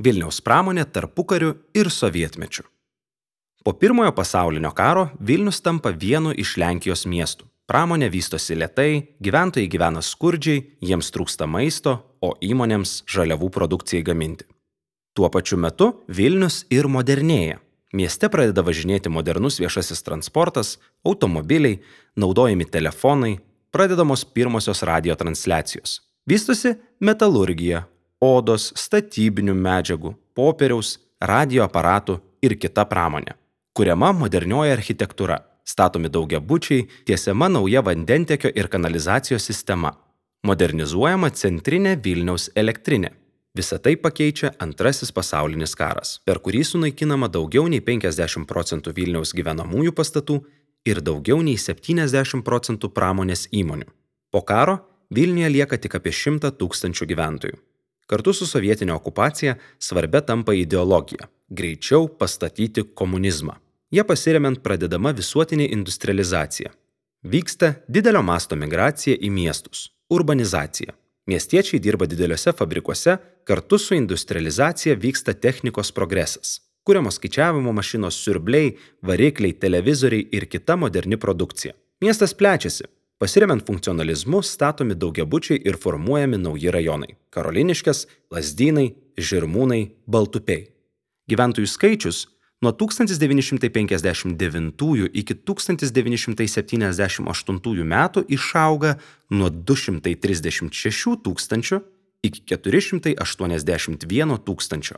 Vilniaus pramonė tarpukariu ir sovietmečiu. Po Pirmojo pasaulinio karo Vilnius tampa vienu iš Lenkijos miestų. Pramonė vystosi lėtai, gyventojai gyvena skurdžiai, jiems trūksta maisto, o įmonėms žaliavų produkcijai gaminti. Tuo pačiu metu Vilnius ir modernėja. Mieste pradeda važinėti modernus viešasis transportas, automobiliai, naudojami telefonai, pradedamos pirmosios radijo transliacijos. Vystosi metalurgija, odos, statybinių medžiagų, popieriaus, radijo aparatų ir kita pramonė. Kuriama modernioji architektūra, statomi daugiabučiai, tiesiama nauja vandentiekio ir kanalizacijos sistema. Modernizuojama centrinė Vilniaus elektrinė. Visą tai pakeičia Antrasis pasaulinis karas, per kurį sunaikinama daugiau nei 50% Vilniaus gyvenamųjų pastatų ir daugiau nei 70% pramonės įmonių. Po karo Vilniuje lieka tik apie 100 000 gyventojų. Kartu su sovietinė okupacija svarbia tampa ideologija – greičiau pastatyti komunizmą. Jie pasiremiant pradedama visuotinė industrializacija. Vyksta didelio masto migracija į miestus – urbanizacija. Miestiečiai dirba dideliuose fabrikuose, kartu su industrializacija vyksta technikos progresas. Kuriamos skaičiavimo mašinos, siurbliai, varikliai, televizoriai ir kita moderni produkcija. Miestas plečiasi. Pasiremiant funkcionalizmu statomi daugiabučiai ir formuojami nauji rajonai – Karoliniškės, Lazdynai, Žirmūnai, Baltupiai. Gyventojų skaičius nuo 1959 iki 1978 metų išauga nuo 236 000 iki 481 000.